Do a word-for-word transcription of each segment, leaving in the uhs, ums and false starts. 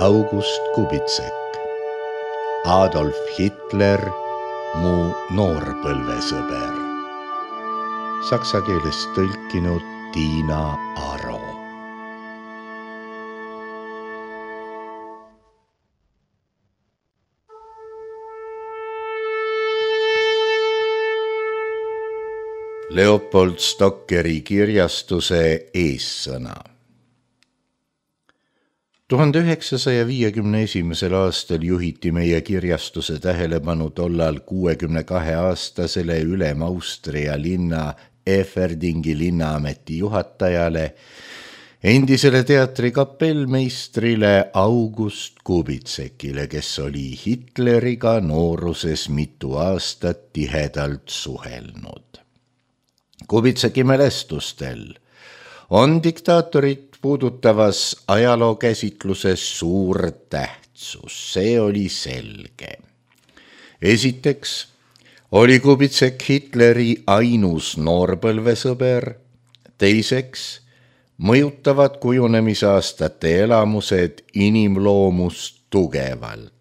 August Kubitsek. Adolf Hitler, mu noorpõlvesõber. Saksa keelest tõlkinud Tiina Aro. Leopold Stockeri kirjastuse eessõna. tuhande üheksasaja viiekümne esimesel aastal juhiti meie kirjastuse tähelepanu tollal kuuekümne kahe aastasele Ülem-Austria linna Eferdingi linnaameti juhatajale, endisele teatri kapellmeistrile August Kubitsekile, kes oli Hitleriga nooruses mitu aastat tihedalt suhelnud. Kubitseki mälestustel on diktaatorit puudutavas ajalookäsitluses suur tähtsus, see oli selge. Esiteks oli Kubitsek Hitleri ainus noorpõlvesõber, teiseks mõjutavad kujunemisaastate elamused inimloomust tugevalt.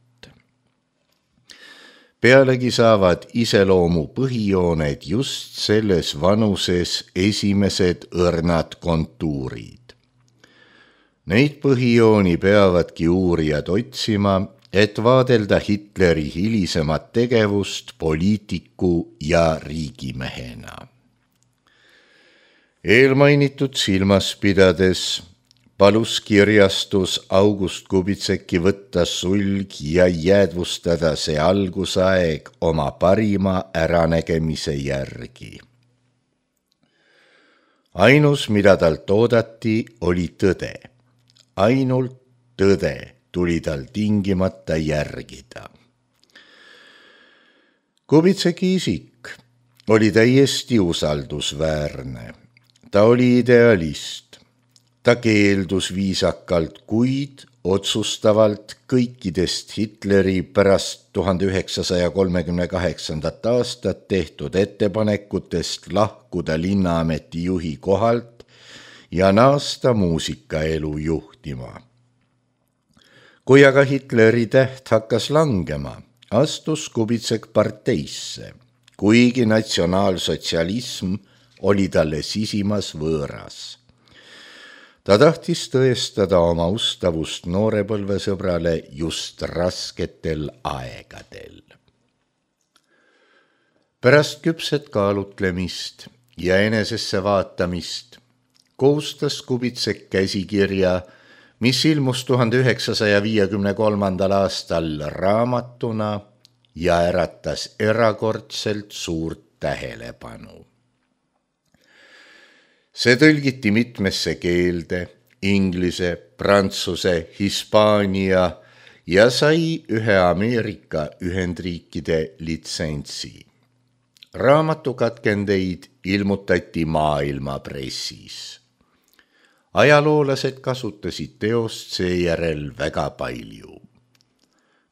Pealegi saavad iseloomu põhijooned just selles vanuses esimesed õrnad kontuurid. Neid põhijooni peavadki uurijad otsima, et vaadelda Hitleri hilisemat tegevust poliitiku ja riigimehena. Eelmainitud silmas pidades palus kirjastus August Kubitseki võtta sulg ja jäädvustada see algusaeg oma parima äranägemise järgi. Ainus, mida talt oodati, oli tõde. Ainult tõde tuli tal tingimata järgida. Kubitseki isik oli täiesti usaldusväärne. Ta oli idealist. Ta keeldus viisakalt, kuid otsustavalt kõikidest Hitleri pärast tuhande üheksasaja kolmekümne kaheksandat aastat tehtud ettepanekutest lahkuda linnaameti juhi kohalt ja naasta muusikaelu juhtima. Kui aga Hitleri täht hakkas langema, astus Kubitsek parteisse, kuigi natsionaalsotsialism oli talle sisimas võõras. Ta tahtis tõestada oma ustavust noorepõlvesõbrale just rasketel aegadel. Pärast küpset kaalutlemist ja enesesse vaatamist koostas Kubitsek käsikirja, mis ilmus tuhande üheksasaja viiekümne kolmandal aastal raamatuna ja äratas erakordselt suurt tähelepanu. See tõlgiti mitmesse keelde, inglise, prantsuse, hispaania ja sai ühe Ameerika Ühendriikide litsentsi. Raamatukatkendeid ilmutati maailma pressis. Ajaloolased kasutasid teost seejärel väga palju.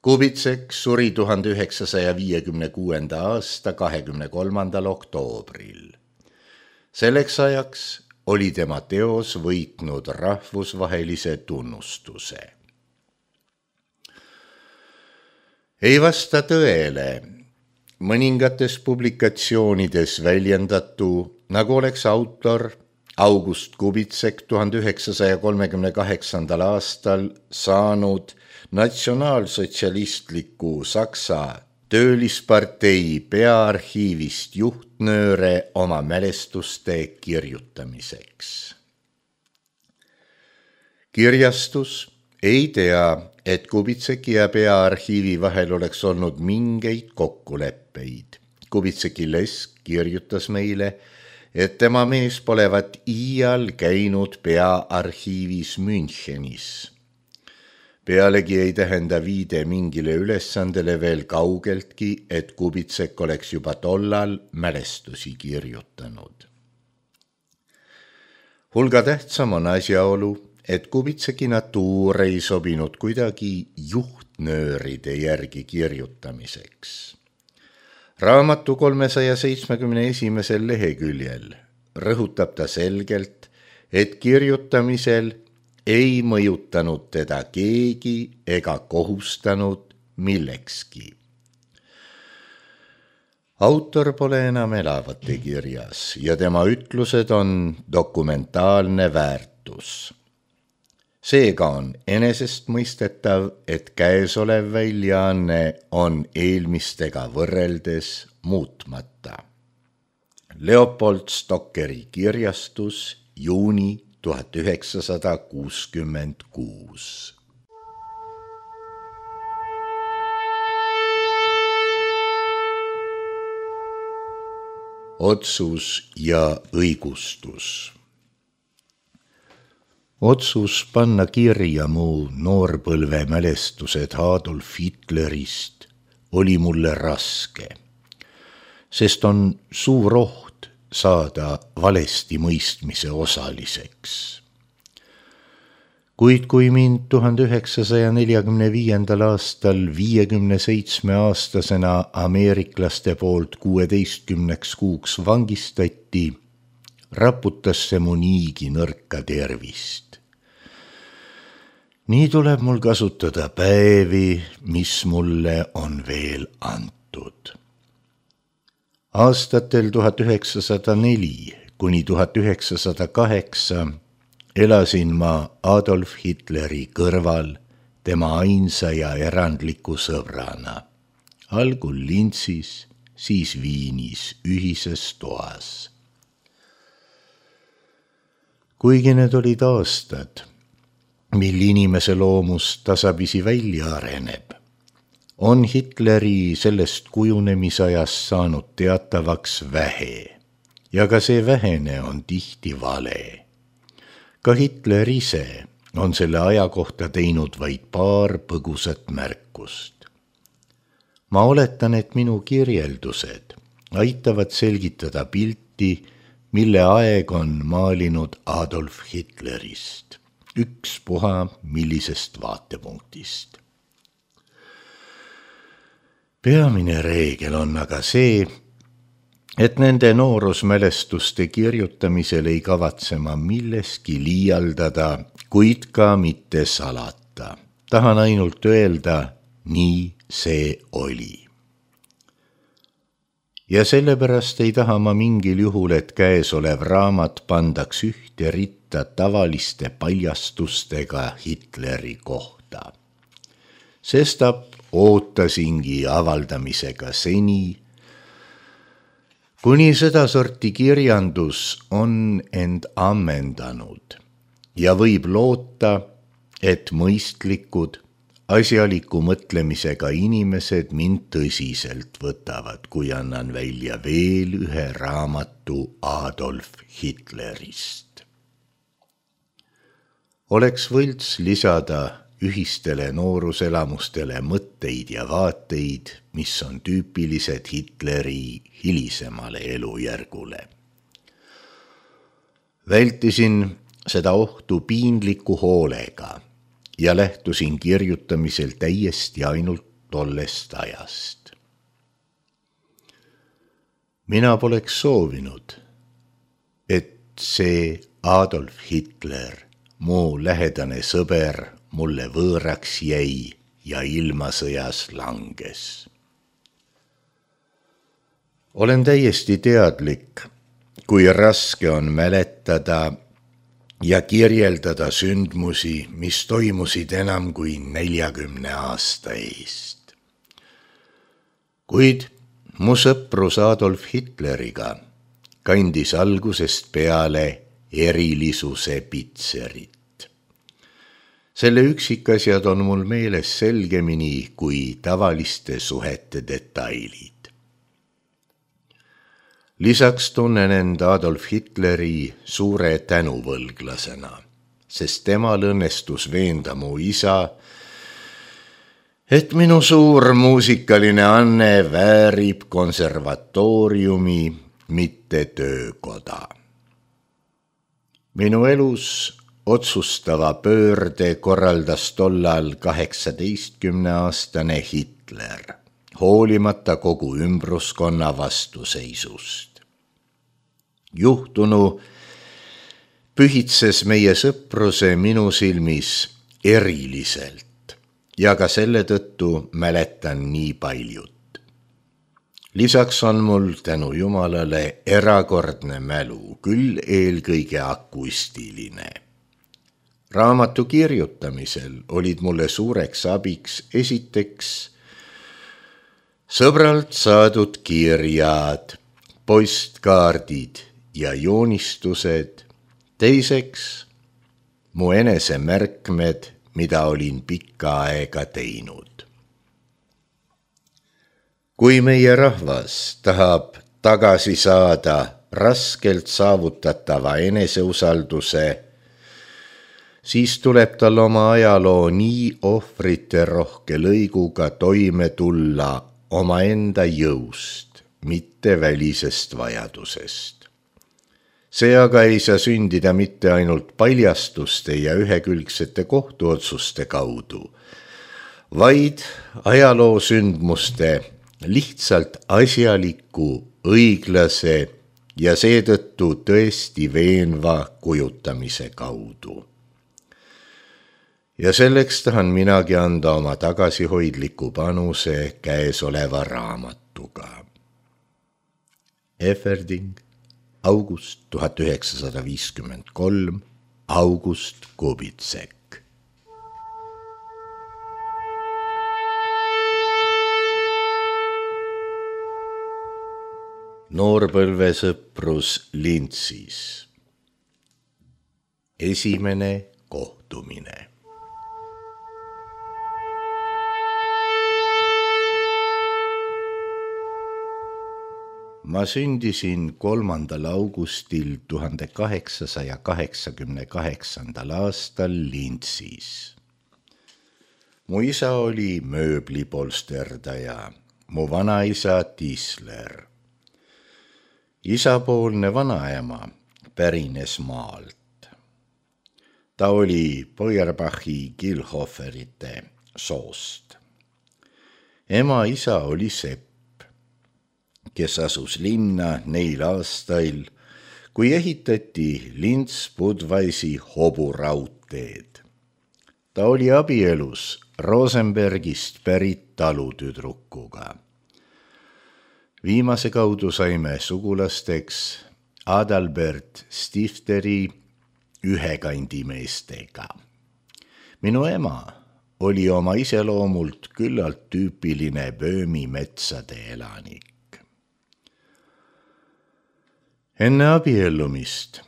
Kubitsek suri tuhande üheksasaja viiekümne kuuenda aasta kahekümne kolmandal oktoobril. Selleks ajaks oli tema teos võitnud rahvusvahelise tunnustuse. Ei vasta tõele mõningates publikatsioonides väljendatu, nagu oleks autor August Kubitsek tuhande üheksasaja kolmekümne kaheksandal aastal saanud natsionaalsotsialistliku Saksa töölispartei peaarhiivist juhtnööre oma mälestuste kirjutamiseks. Kirjastus ei tea, et Kubitseki ja peaarhiivi vahel oleks olnud mingeid kokkuleppeid. Kubitseki lesk kirjutas meile, et tema mees polevat iial käinud peaarhiivis Münchenis. Pealegi ei tähenda viide mingile ülesandele veel kaugeltki, et Kubitsek oleks juba tollal mälestusi kirjutanud. Hulga tähtsam on asjaolu, et Kubitseki natuur ei sobinud kuidagi juhtnööride järgi kirjutamiseks. Raamatu kolmesaja seitsmekümne esimesel leheküljel rõhutab ta selgelt, et kirjutamisel ei mõjutanud teda keegi ega kohustanud millekski. Autor pole enam elavate kirjas ja tema ütlused on dokumentaalne väärtus. Seega on enesestmõistetav, et käesolev väljaanne on eelmistega võrreldes muutmata. Leopold Stockeri kirjastus, juuni tuhat üheksasada kuuskümmend kuus. Otsus ja õigustus. Otsus panna kirja mu noorpõlve mälestused Adolf Hitlerist oli mulle raske, sest on suur oht saada valesti mõistmise osaliseks. Kuid kui mind tuhande üheksasaja neljakümne viiendal aastal viiekümne seitsme aastasena ameeriklaste poolt kuueteistkümneks kuuks vangistati, raputas see mu niigi nõrka tervist. Nii tuleb mul kasutada päevi, mis mulle on veel antud. Aastatel tuhat üheksasada neli kuni tuhat üheksasada kaheksa elasin ma Adolf Hitleri kõrval tema ainsa ja erandliku sõbrana, algul Linzis, siis Viinis ühises toas. Kuigi need olid aastad, mil inimese loomus tasapisi välja areneb, on Hitleri sellest kujunemisajast saanud teatavaks vähe ja ka see vähene on tihti vale. Ka Hitler ise on selle aja kohta teinud vaid paar põgusat märkust. Ma oletan, et minu kirjeldused aitavad selgitada pilti, mille aeg on maalinud Adolf Hitlerist, ükspuha millisest vaatepunktist. Peamine reegel on aga see, et nende noorusmälestuste kirjutamisel ei kavatse ma milleski liialdada, kuid ka mitte salata. Tahan ainult öelda, nii see oli. Ja sellepärast ei taha ma mingil juhul, et käesolev raamat pandaks ühte ritta tavaliste paljastustega Hitleri kohta. Sestap ootasingi avaldamisega seni, kuni seda sorti kirjandus on end ammendanud ja võib loota, et mõistlikud, asjaliku mõtlemisega inimesed mind tõsiselt võtavad, kui annan välja veel ühe raamatu Adolf Hitlerist. Oleks võlts lisada ühistele nooruselamustele mõtteid ja vaateid, mis on tüüpilised Hitleri hilisemale elujärgule. Vältisin seda ohtu piinliku hoolega ja lähtusin kirjutamisel täiesti ainult tollest ajast. Mina poleks soovinud, et see Adolf Hitler, mu lähedane sõber, mulle võõraks jäi ja ilmasõjas langes. Olen täiesti teadlik, kui raske on mäletada ja kirjeldada sündmusi, mis toimusid enam kui neljakümne aasta eest. Kuid mu sõprus Adolf Hitleriga kandis algusest peale erilisuse pitserit. Selle üksikasjad on mul meeles selgemini kui tavaliste suhete detailid. Lisaks tunnen end Adolf Hitleri suure tänuvõlglasena, sest temal õnnestus veenda mu isa, et minu suur muusikaline anne väärib konservatooriumi, mitte töökoda. Minu elus otsustava pöörde korraldas tollal kaheksateistkümneaastane Hitler, hoolimata kogu ümbruskonna vastuseisust. Juhtunu pühitses meie sõpruse minu silmis eriliselt ja ka selle tõttu mäletan nii paljut. Lisaks on mul tänu Jumalale erakordne mälu, küll eelkõige akustiline. Raamatu kirjutamisel olid mulle suureks abiks esiteks sõbralt saadud kirjad, postkaardid ja joonistused, teiseks mu enesemärkmed, mida olin pikka aega teinud. Kui meie rahvas tahab tagasi saada raskelt saavutatava eneseusalduse, siis tuleb tal oma ajaloo nii ohvrite rohke lõiguga toime tulla omaenda jõust, mitte välisest vajadusest. See aga ei saa sündida mitte ainult paljastuste ja ühekülgsete kohtuotsuste kaudu, vaid ajaloo sündmuste lihtsalt asjaliku, õiglase ja seetõttu tõesti veenva kujutamise kaudu. Ja selleks tahan minagi anda oma tagasihoidliku panuse käesoleva raamatuga. Eferding, august tuhat üheksasada viiskümmend kolm, August Kubitsek. Noorpõlvesõprus Lintsis. Esimene kohtumine. Ma sündisin kolmandal augustil tuhande kaheksasaja kaheksakümne kaheksandal aastal Lintsis. Mu isa oli mööblipolsterdaja, mu vanaisa tisler. Isapoolne vanaema pärines maalt. Ta oli Feuerbachi Gilhoferite soost. Ema isa oli sepp, kes asus linna neil aastail, kui ehitati Lints-Budweisi hoburaudteed. Ta oli abielus Rosenbergist pärit talutüdrukuga. Viimase kaudu saime sugulasteks Adalbert Stifteri ühekandimeestega. Minu ema oli oma iseloomult küllalt tüüpiline Böömi metsade elanik. Enne abiellumist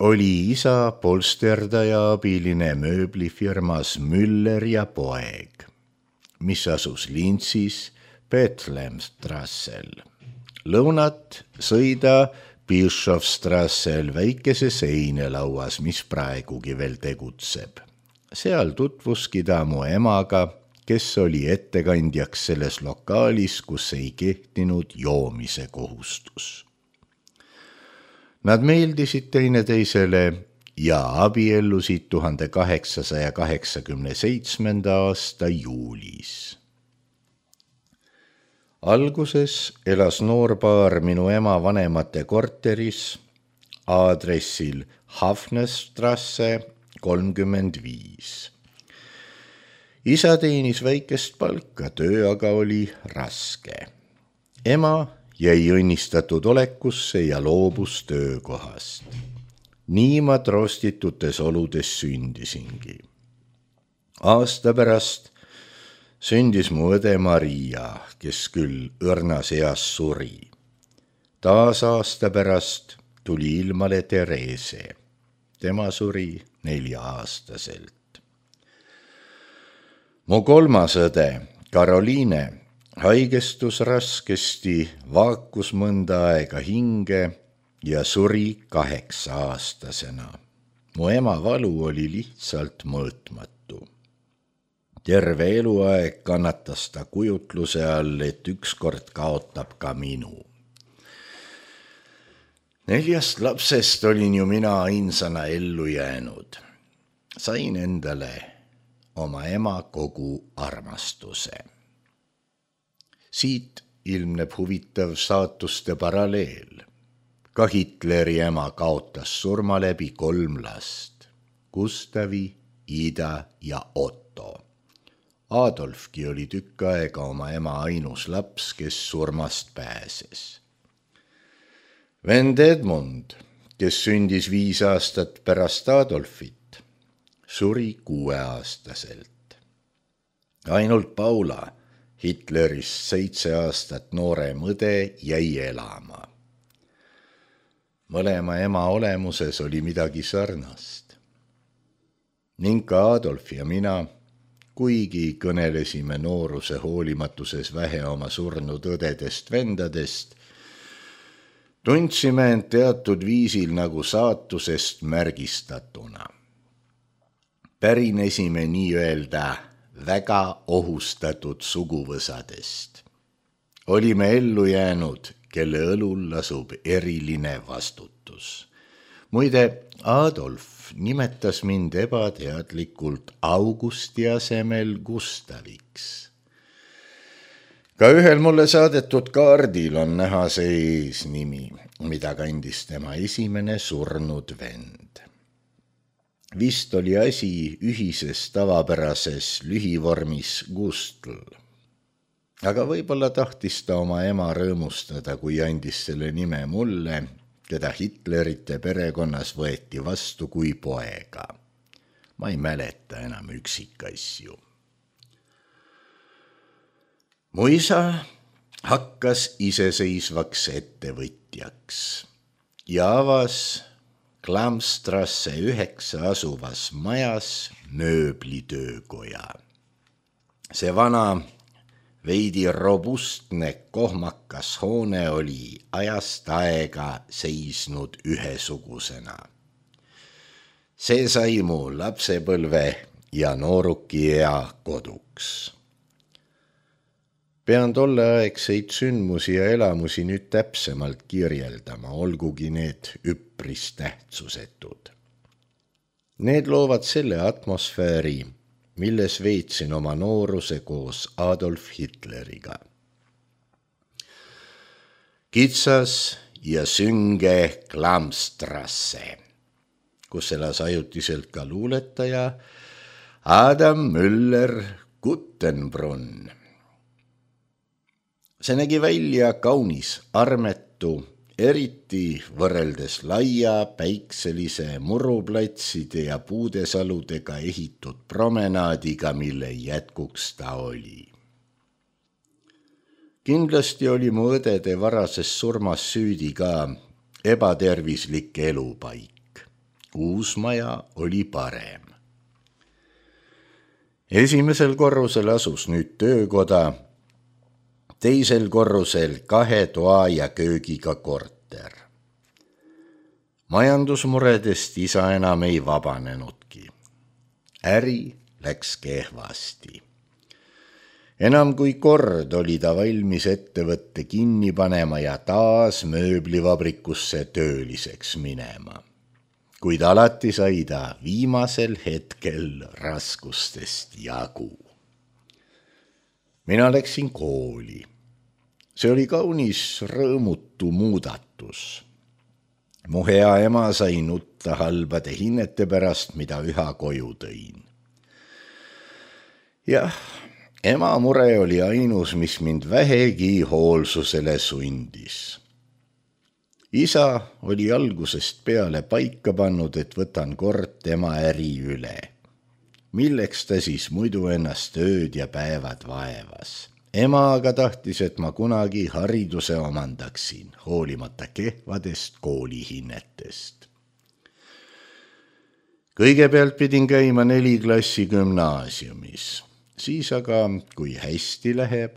oli isa polsterdaja abiline mööblifirmas Müller ja poeg, mis asus Lintsis Bethlehemstrassel. Lõunat sõida Bischofstrassel väikese seinelauas, mis praegugi veel tegutseb. Seal tutvuski ta mu emaga, kes oli ettekandjaks selles lokaalis, kus ei kehtinud joomise kohustus. Nad meeldisid teineteisele ja abiellusid tuhande kaheksasaja kaheksakümne seitsmenda aasta juulis. Alguses elas noorpaar minu ema vanemate korteris aadressil Hafnerstrasse kolmkümmend viis. Isa teenis väikest palka, töö aga oli raske. Ema jäi õnnistatud olekusse ja loobus töökohast. Nii ma trostitutes oludes sündisingi. Aasta pärast sündis mu õde Maria, kes küll õrnas eas suri. Taas aasta pärast tuli ilmale Therese. Tema suri nelja-aastaselt. Mu kolmas õde, Karoliine, haigestus raskesti, vaakus mõnda aega hinge ja suri kaheksa-aastasena. Mu ema valu oli lihtsalt mõõtmatu. Terve eluaeg kannatas ta kujutluse all, et ükskord kaotab ka minu. Neljast lapsest olin ju mina ainsana ellu jäänud. Sain endale oma ema kogu armastuse. Siit ilmneb huvitav saatuste paralleel. Ka Hitleri ema kaotas surma läbi kolm last, Gustavi, Ida ja Otto. Adolfki oli tükk aega oma ema ainus laps, kes surmast pääses. Vend Edmund, kes sündis viis aastat pärast Adolfit, suri kuueaastaselt. Ainult Paula, Hitlerist seitse aastat noorem õde, jäi elama. Mõlema ema olemuses oli midagi sarnast. Ning ka Adolf ja mina, kuigi kõnelesime nooruse hoolimatuses vähe oma surnud õdedest vendadest, tundsime end teatud viisil nagu saatusest märgistatuna. Pärinesime nii-öelda väga ohustatud suguvõsadest. Olime ellu jäänud, kelle õlul lasub eriline vastutus. Muide, Adolf nimetas mind ebateadlikult Augusti asemel Gustaviks. Ka ühel mulle saadetud kaardil on näha see eesnimi, mida kandis tema esimene surnud vend. Vist oli asi ühises tavapärases lühivormis Gustl. Aga võib-olla tahtis ta oma ema rõõmustada, kui andis selle nime mulle, keda Hitlerite perekonnas võeti vastu kui poega. Ma ei mäleta enam üksikasju. Mu isa hakkas iseseisvaks ettevõtjaks ja avas Klamstrasse üheksa asuvas majas mööblitöökoja. See vana veidi robustne kohmakas hoone oli ajast aega seisnud ühesugusena. See sai mu lapsepõlve ja noorukiea koduks. Pean tolleaegseid sündmusi ja elamusi nüüd täpsemalt kirjeldama, olgugi need üpris tähtsusetud. Need loovad selle atmosfääri, milles veetsin oma nooruse koos Adolf Hitleriga. Kitsas ja sünge Klamstrasse, kus elas ajutiselt ka luuletaja Adam Müller-Guttenbrunn. See nägi välja kaunis armetu, eriti võrreldes laia päikselise muruplatside ja puudesaludega ehitud promenaadiga, mille jätkuks ta oli. Kindlasti oli mu õdede varases surmas süüdi ka ebatervislik elupaik. Uus maja oli parem. Esimesel korrusel asus nüüd töökoda, teisel korrusel kahe toa ja köögiga korter. Majandusmuredest isa enam ei vabanenudki. Äri läks kehvasti. Enam kui kord oli ta valmis ettevõtte kinni panema ja taas mööblivabrikusse tööliseks minema. Kuid alati sai ta viimasel hetkel raskustest jagu. Mina läksin kooli. See oli kaunis rõõmutu muudatus. Mu hea ema sai nutta halbade hinnete pärast, mida üha koju tõin. Jah, ema mure oli ainus, mis mind vähegi hoolsusele sundis. Isa oli algusest peale paika pannud, et võtan kord tema äri üle. Milleks ta siis muidu ennast ööd ja päevad vaevas? Ema aga tahtis, et ma kunagi hariduse omandaksin, hoolimata kehvadest koolihinnetest. Kõigepealt pidin käima neli klassi gümnaasiumis, siis aga, kui hästi läheb,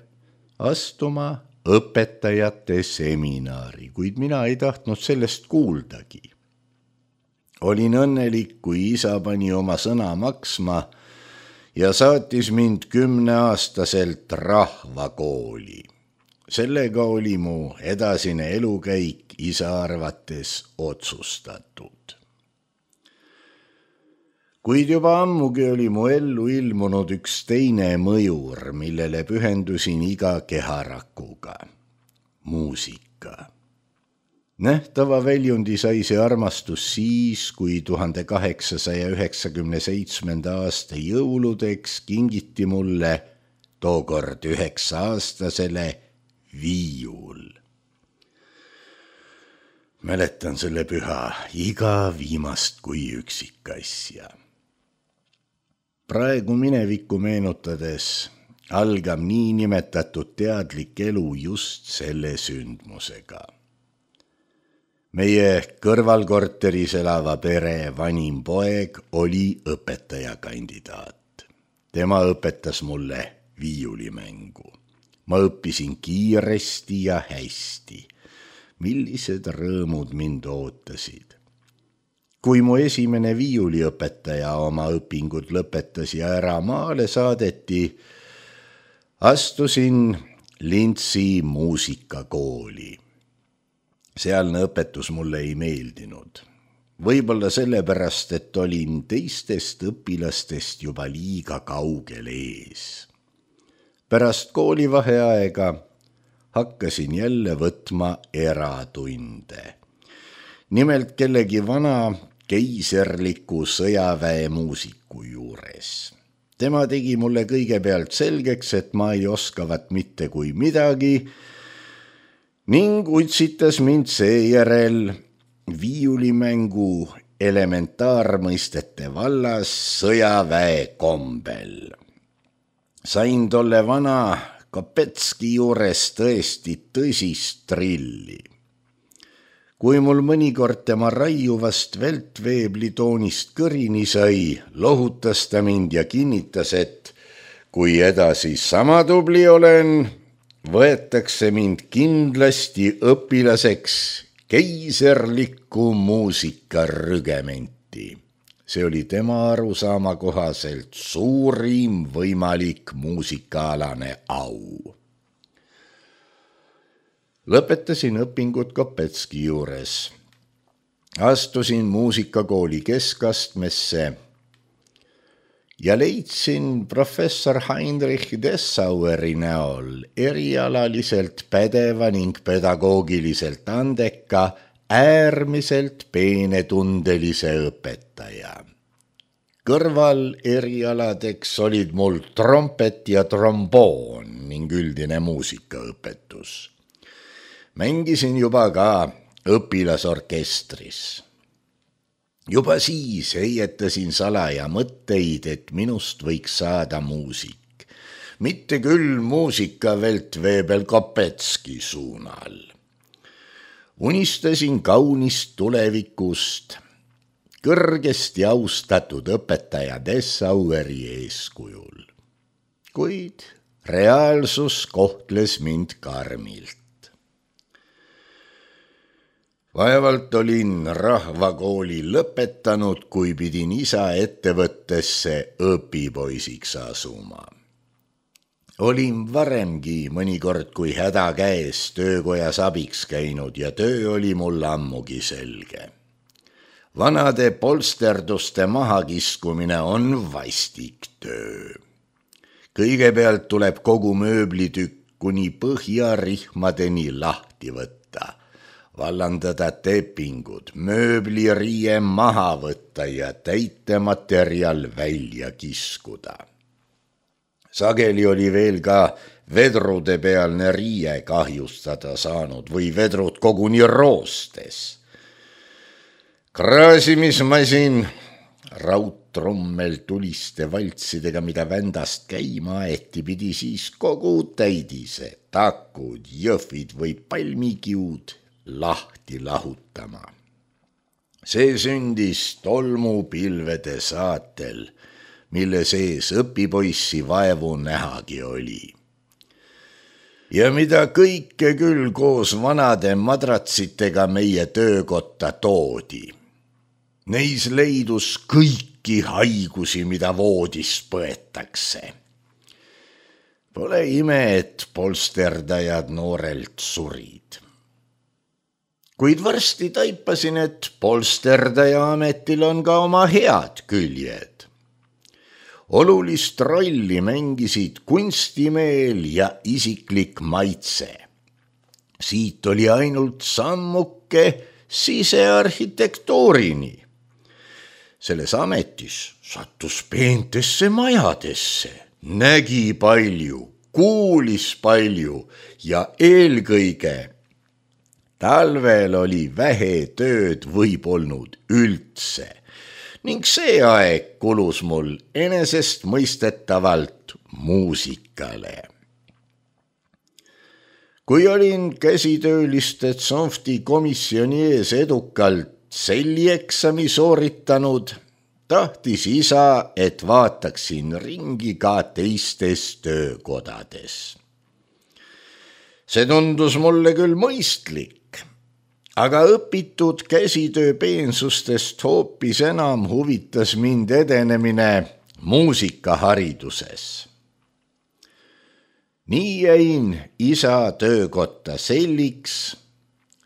astuma õpetajate seminari, kuid mina ei tahtnud sellest kuuldagi. Olin õnnelik, kui isa pani oma sõna maksma ja saatis mind kümneaastaselt rahvakooli. Sellega oli mu edasine elukäik isa arvates otsustatud. Kuid juba ammugi oli mu ellu ilmunud üks teine mõjur, millele pühendusin iga keharakuga. Muusika. Nähtava väljundi sai see armastus siis, kui tuhande kaheksasaja üheksakümne seitsmenda aasta jõuludeks kingiti mulle tookord üheksa-aastasele viiul. Mäletan selle püha iga viimast kui üksikasja. Praegu minevikku meenutades algab niinimetatud teadlik elu just selle sündmusega. Meie kõrvalkorteris elava pere vanim poeg oli õpetajakandidaat. Tema õpetas mulle viiulimängu. Ma õppisin kiiresti ja hästi. Millised rõõmud mind ootasid. Kui mu esimene viiuliõpetaja oma õpingud lõpetas ja ära maale saadeti, astusin Lintsi muusikakooli. Sealne õpetus mulle ei meeldinud. Võib-olla sellepärast, et olin teistest õpilastest juba liiga kaugel ees. Pärast koolivaheaega hakkasin jälle võtma eratunde. Nimelt kellegi vana keiserliku sõjaväe muusiku juures. Tema tegi mulle kõigepealt selgeks, et ma ei oskavat mitte kui midagi, ning utsitas mind seejärel viiulimängu elementaarmõistete vallas sõjaväe kombel. Sain tolle vana Kopetski juures tõesti tõsist trilli. Kui mul mõnikord tema raiuvast veltveeblitoonist kõrini sai, lohutas ta mind ja kinnitas, et kui edasi sama tubli olen, võetakse mind kindlasti õpilaseks keiserlikku muusikarügementi. See oli tema arusaama kohaselt suurim võimalik muusikaalane au. Lõpetasin õpingud Kopetski juures. Astusin muusikakooli keskastmesse ja leidsin professor Heinrich Dessaueri näol erialaliselt pädeva ning pedagoogiliselt andeka, äärmiselt peenetundelise õpetaja. Kõrval erialadeks olid mul trompet ja tromboon ning üldine muusikaõpetus. Mängisin juba ka õpilasorkestris. Juba siis heietasin salaja mõtteid, et minust võiks saada muusik. Mitte küll muusika veltveebel Kopetski suunal. Unistasin kaunist tulevikust, kõrgesti austatud õpetaja Dessaueri eeskujul. Kuid reaalsus kohtles mind karmilt. Vaevalt olin rahvakooli lõpetanud, kui pidin isa ettevõttesse õpipoisiks asuma. Olin varemgi mõnikord kui häda käes töökojas abiks käinud ja töö oli mul ammugi selge. Vanade polsterduste mahakiskumine on vastik töö. Kõigepealt tuleb kogu mööblitükk kuni põhjarihmadeni lahti võtta. Vallandada tepingud, mööbliriie maha võtta ja täitematerjal välja kiskuda. Sageli oli veel ka vedrude pealne riie kahjustada saanud või vedrud koguni roostes. Kraasimismasin, raudtrommel tuliste valtsidega, mida vändast käima aeti, pidi siis kogu täidise, takud, jõhvid või palmikiud lahti lahutama. See sündis tolmupilvede saatel, mille sees õpipoissi vaevu nähagi oli. Ja mida kõike küll koos vanade madratsitega meie töökotta toodi. Neis leidus kõiki haigusi, mida voodis põetakse. Pole ime, et polsterdajad noorelt surid. Kuid varsti taipasin, et polsterdaja ametil on ka oma head küljed. Olulist rolli mängisid kunstimeel ja isiklik maitse. Siit oli ainult sammuke sisearhitektuurini. Selles ametis sattus peentesse majadesse, nägi palju, kuulis palju ja eelkõige talvel oli vähe tööd võib olnud üldse ning see aeg kulus mul enesestmõistetavalt muusikale. Kui olin käsitööliste tsonfti komisjoni ees edukalt sellieksami sooritanud, tahtis isa, et vaataksin ringi ka teistes töökodades. See tundus mulle küll mõistlik, aga õpitud käsitöö peensustest hoopis enam huvitas mind edenemine muusikahariduses. Nii jäin isa töökotta selliks,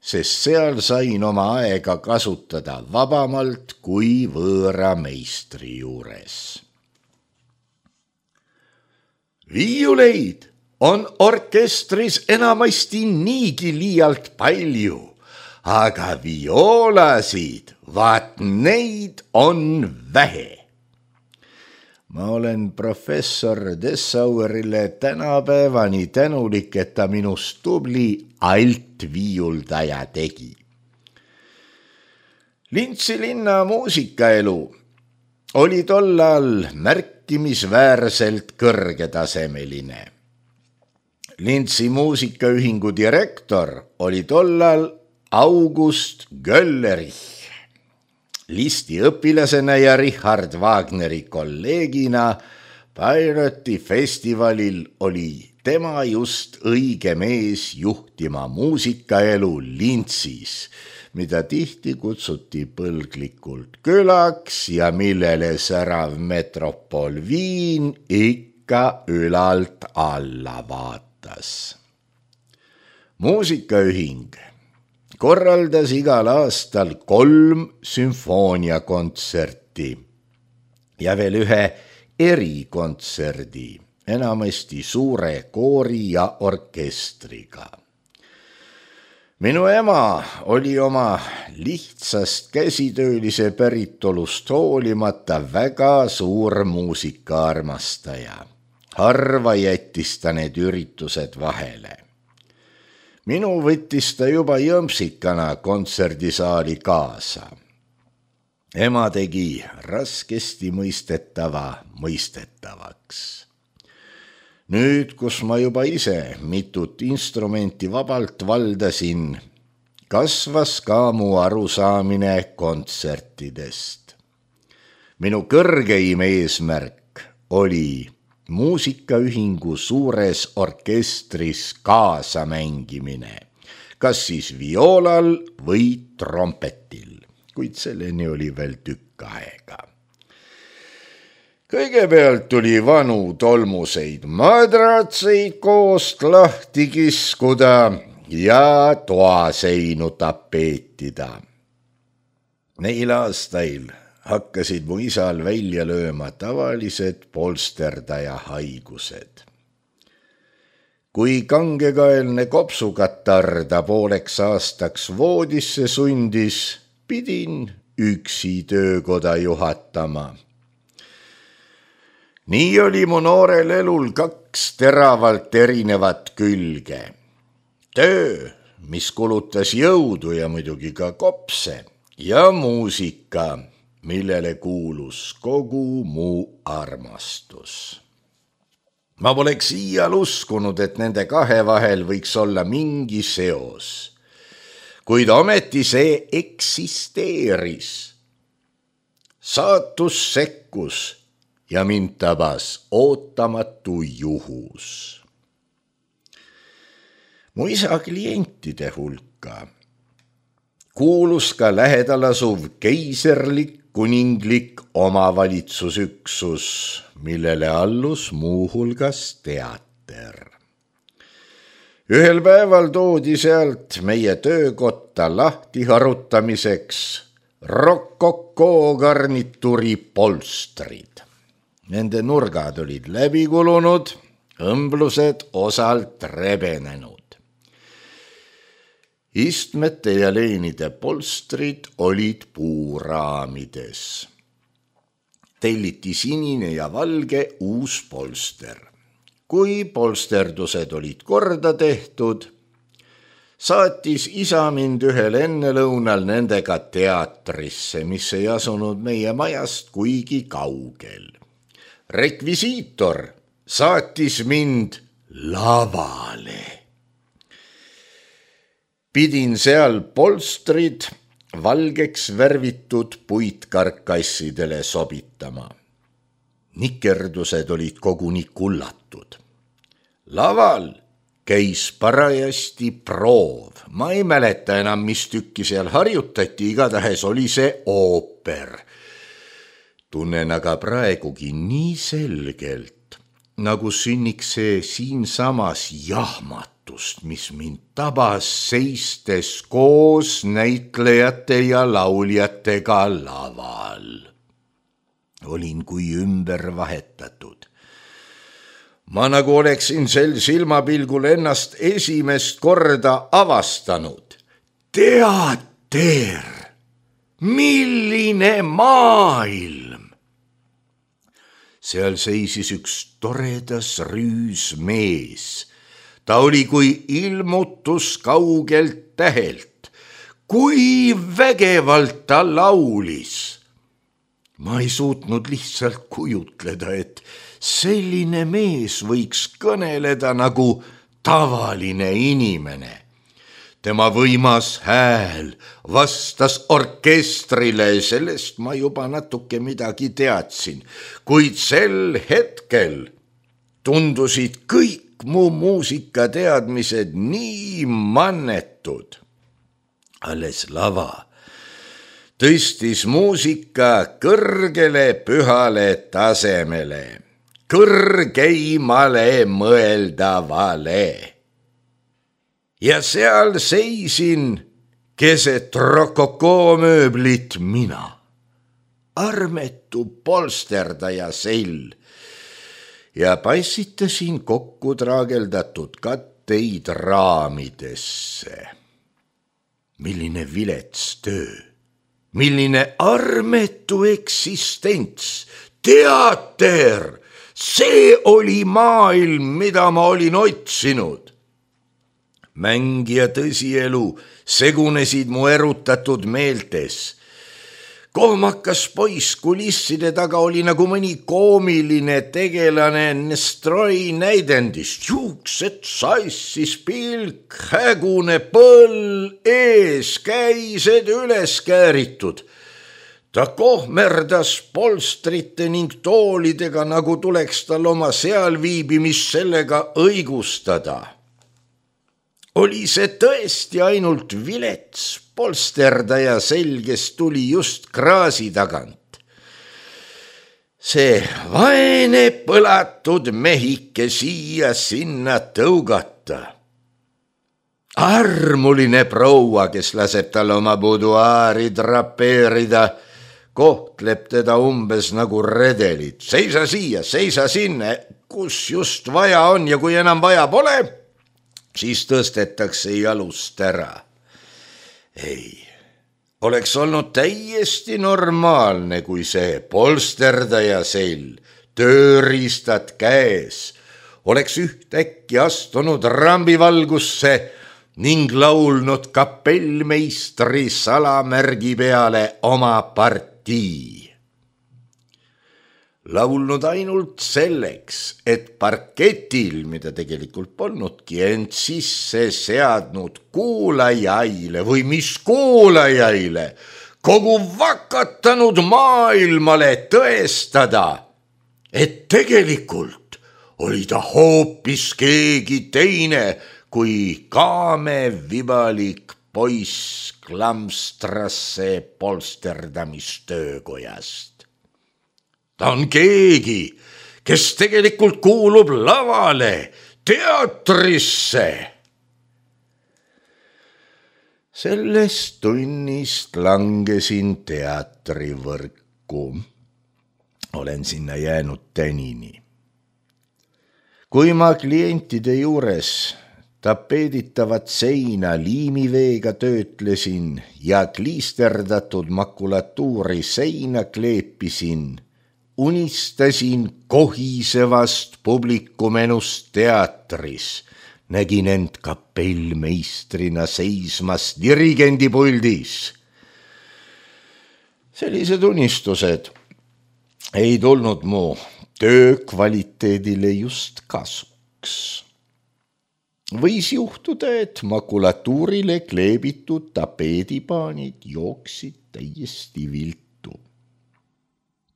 sest seal sain oma aega kasutada vabamalt kui võõra meistri juures. Viiuleid on orkestris enamasti niigi liialt palju, aga vioolasid, vaat neid on vähe. Ma olen professor Dessauerile tänapäevani tänulik, et ta minust tubli altviiuldaja tegi. Lintsi linna muusikaelu oli tollal märkimisväärselt kõrgetasemeline. Lintsi muusikaühingu direktor oli tollal August Göllerich. Listi õpilasena ja Richard Wagneri kolleegina Bayreuthi festivalil oli tema just õige mees juhtima muusikaelu Lintsis, mida tihti kutsuti põlglikult külaks ja millele särav metropol Viin ikka ülalt alla vaatas. Muusikaühing korraldas igal aastal kolm sümfooniakontserti ja veel ühe erikontserdi, enamasti suure koori ja orkestriga. Minu ema oli oma lihtsast käsitöölise päritolust hoolimata väga suur muusikaarmastaja. Harva jättis ta need üritused vahele. Minu võttis ta juba jõmpsikana kontserdisaali kaasa. Ema tegi raskesti mõistetava mõistetavaks. Nüüd, kus ma juba ise mitut instrumenti vabalt valdasin, kasvas ka mu arusaamine kontsertidest. Minu kõrgeim eesmärk oli muusikaühingu suures orkestris kaasamängimine, kas siis vioolal või trompetil, kuid selleni oli veel tükk aega. Kõigepealt tuli vanu tolmuseid madratseid koost lahti kiskuda ja toaseinu tapeetida. Neil aastail hakkasid mu isal välja lööma tavalised polsterdaja haigused. Kui kangekaelne kopsukatarr ta pooleks aastaks voodisse sundis, pidin üksi töökoda juhatama. Nii oli mu noorel elul kaks teravalt erinevat külge. Töö, mis kulutas jõudu ja muidugi ka kopse, ja muusika, millele kuulus kogu mu armastus. Ma poleks iial uskunud, et nende kahe vahel võiks olla mingi seos, kuid ometi see eksisteeris. Saatus sekkus ja mind tabas ootamatu juhus. Mu isa klientide hulka kuulus ka lähedal asuv keiserlik kuninglik omavalitsusüksus, millele allus muuhulgas teater. Ühel päeval toodi sealt meie töökotta lahti harutamiseks rokokoo garnituuri polstrid. Nende nurgad olid läbi kulunud, õmblused osalt rebenenud. istmete ja leenide polstrid olid puuraamides. Telliti sinine ja valge uus polster. Kui polsterdused olid korda tehtud, saatis isa mind ühel ennelõunal nendega teatrisse, mis ei asunud meie majast kuigi kaugel. Rekvisiitor saatis mind lavale. Pidin seal polstrid valgeks värvitud puitkarkassidele sobitama. Nikerdused olid koguni kullatud. Laval käis parajasti proov. Ma ei mäleta enam, mis tükki seal harjutati, igatahes oli see ooper. Tunnen aga praegugi nii selgelt, nagu sünniks see siinsamas jahmatust, mis mind tabas seistes koos näitlejate ja lauljatega laval. Olin kui ümber vahetatud. Ma nagu oleksin sel silmapilgul ennast esimest korda avastanud. Teater! Milline maailm! Seal seisis üks toredas rüüs mees. Ta oli kui ilmutus kaugelt tähelt. Kui vägevalt ta laulis! Ma ei suutnud lihtsalt kujutleda, et selline mees võiks kõneleda nagu tavaline inimene. Tema võimas hääl vastas orkestrile, sellest ma juba natuke midagi teadsin, kuid sel hetkel tundusid kõik mu muusikateadmised nii mannetud. Alles lava tõstis muusika kõrgele pühale tasemele, kõrgeimale mõeldavale. Ja seal seisin keset rokokoomööblit mina, armetu polsterdaja sell, ja passitasin kokku traageldatud katteid raamidesse. Milline vilets töö! Milline armetu eksistents, teater, see oli maailm, mida ma olin otsinud. Mäng ja tõsielu segunesid mu erutatud meeltes. Kohmakas poiss kulisside taga oli nagu mõni koomiline tegelane Nestroi näidendist. Juuksed sassis, pilk, hägune põll ees, käised üles kääritud. Ta kohmerdas polstrite ning toolidega, nagu tuleks tal oma sealviibimist sellega õigustada. Oli see tõesti ainult vilets polsterdaja selges tuli just kraasi tagant. See vaene põlatud mehike siia sinna tõugata. Armuline proua, kes laseb tal oma buduaari drapeerida, kohtleb teda umbes nagu redelit. Seisa siia, seisa sinna, kus just vaja on ja kui enam vaja pole, siis tõstetakse jalust ära. Ei, oleks olnud täiesti normaalne, kui see polsterdaja sell, tööriistad käes, oleks ühtäkki astunud rambivalgusse ning laulnud kapellmeistri salamärgi peale oma partii. Laulnud ainult selleks, et parketil, mida tegelikult polnudki, ent sisse seadnud kuulajaile või mis kuulajaile, kogu vakatanud maailmale tõestada, et tegelikult oli ta hoopis keegi teine kui kaame vibalik poiss Klamstrasse polsterdamistöökojast. Ta on keegi, kes tegelikult kuulub lavale, teatrisse. Sellest tunnist langesin teatrivõrku. Olen sinna jäänud tänini. Kui ma klientide juures Tapeeditavat seina liimiveega töötlesin ja kliisterdatud makulatuuri seina kleepisin. Unistasin kohisevast publikumenust teatris. Nägin end kapellmeistrina seismas dirigendipuldis. Sellised unistused ei tulnud mu töö kvaliteedile just kasuks. Võis juhtuda, et makulatuurile kleebitud tapeedipaanid jooksid täiesti viltu.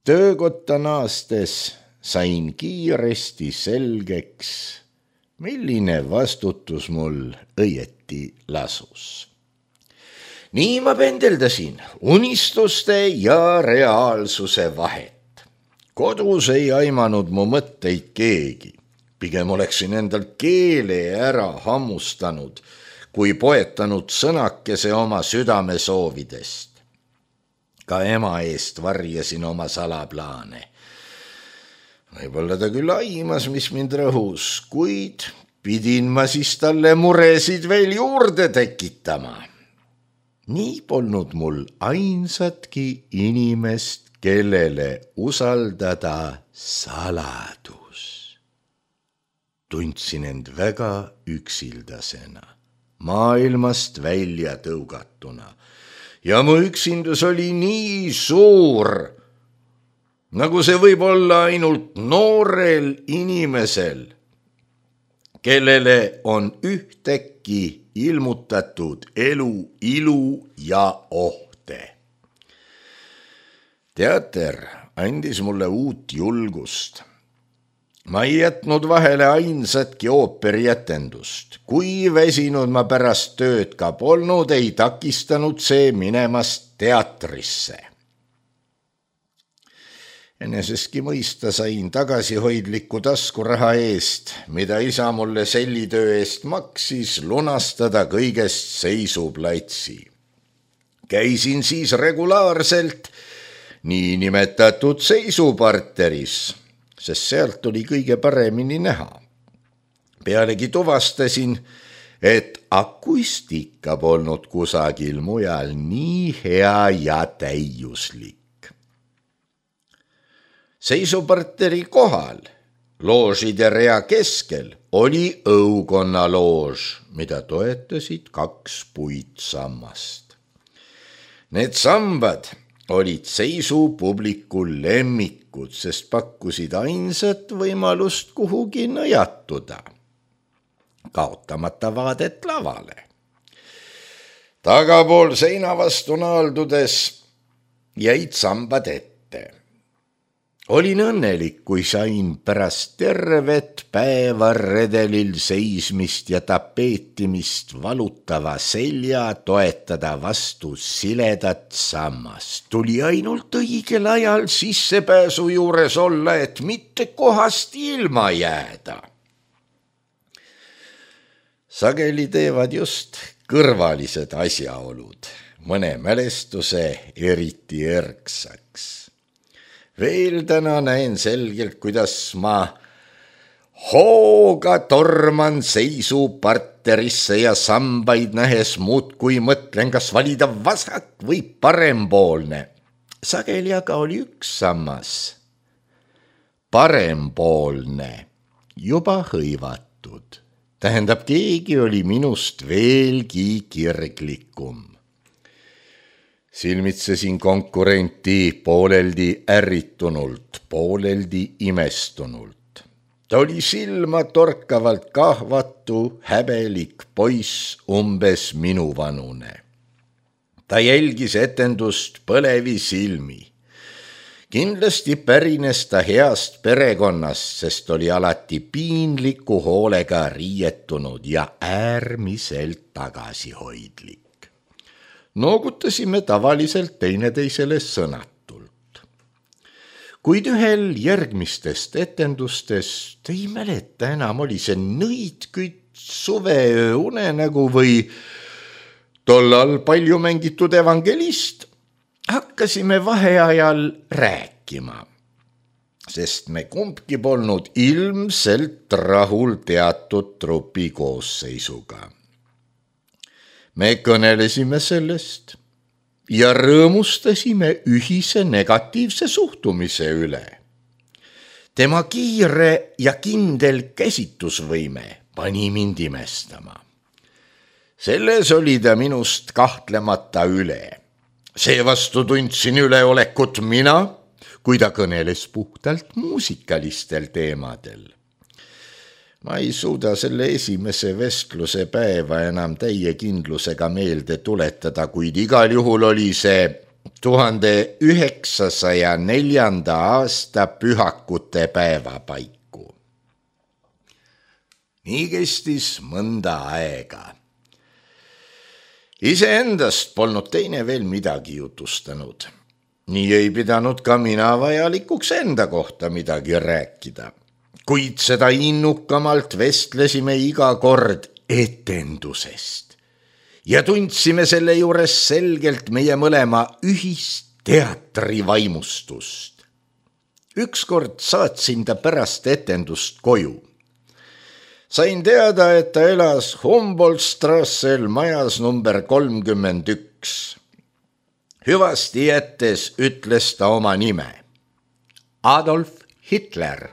Töökotta naastes sain kiiresti selgeks, milline vastutus mul õieti lasus. Nii ma pendeldasin unistuste ja reaalsuse vahet. Kodus ei aimanud mu mõtteid keegi. Pigem oleksin endal keele ära hammustanud, kui poetanud sõnakese oma südame soovidest. Ka ema eest varjasin oma salaplaane. Võib-olla ta küll aimas, mis mind rõhus, kuid pidin ma siis talle muresid veel juurde tekitama. Nii polnud mul ainsatki inimest, kellele usaldada saladus. Tundsin end väga üksildasena, maailmast välja tõugatuna ja mu üksindus oli nii suur, nagu see võib olla ainult noorel inimesel, kellele on ühtäkki ilmutatud elu, ilu ja ohte. Teater andis mulle uut julgust. Ma ei jätnud vahele ainsatki ooperietendust. Kui väsinud ma pärast tööd ka polnud, ei takistanud see minemast teatrisse. Enesestki mõista sain tagasihoidliku taskuraha eest, mida isa mulle sellitöö eest maksis, lunastada kõigest seisuplatsi. Käisin siis regulaarselt niinimetatud seisuparteris, sest sealt oli kõige paremini näha. Pealegi tuvastasin, et akustika polnud kusagil mujal nii hea ja täiuslik. Seisuparteri kohal, loožide rea keskel, oli õukonna loož, mida toetasid kaks puitsammast. Need sambad olid seisupubliku lemmikud, sest pakkusid ainsat võimalust kuhugi nõjatuda, kaotamata vaadet lavale. Tagapool seina vastu naaldudes jäid sambad ette. Olin õnnelik, kui sain pärast tervet päeva redelil seismist ja tapeetimist valutava selja toetada vastu siledat sammast. Tuli ainult õigel ajal sissepääsu juures olla, et mitte kohast ilma jääda. Sageli teevad just kõrvalised asjaolud mõne mälestuse eriti erksaks. Veel täna näen selgelt, kuidas ma hooga torman seisuparterisse ja sambaid nähes muudkui mõtlen, kas valida vasak või parempoolne. Sageli aga oli üks sammas, parempoolne, juba hõivatud. Tähendab, keegi oli minust veelgi kirglikum. Silmitsesin konkurenti pooleldi ärritunult, pooleldi imestunult. Ta oli silma torkavalt kahvatu, häbelik poiss, umbes minuvanune. Ta jälgis etendust põlevi silmi. Kindlasti pärines ta heast perekonnast, sest oli alati piinliku hoolega riietunud ja äärmiselt tagasihoidlik. Noogutasime tavaliselt teineteisele sõnatult. Kuid ühel järgmistest etendustest ei mäleta enam, oli see nõidkütt, suveöö unenägu või tollal palju mängitud evangelist, hakkasime vaheajal rääkima. sest me kumbki polnud ilmselt rahul teatud trupi koosseisuga. Me kõnelesime sellest ja rõõmustasime ühise negatiivse suhtumise üle. Tema kiire ja kindel käsitusvõime pani mind imestama. Selles oli ta minust kahtlemata üle. Seevastu tundsin üleolekut mina, kui ta kõneles puhtalt muusikalistel teemadel. Ma ei suuda selle esimese vestluse päeva enam täie kindlusega meelde tuletada, kuid igal juhul oli see tuhande üheksasaja neljanda aasta pühakute päeva paiku. Nii kestis mõnda aega. Iseendast polnud teine veel midagi jutustanud. Nii ei pidanud ka mina vajalikuks enda kohta midagi rääkida. Kuid seda innukamalt vestlesime iga kord etendusest. Ja tundsime selle juures selgelt meie mõlema ühist teatrivaimustust. Ükskord saatsin ta pärast etendust koju. Sain teada, et ta elas Humboldt-Strassel majas number kolmkümmend üks. Hüvasti jättes ütles ta oma nime. Adolf Hitler.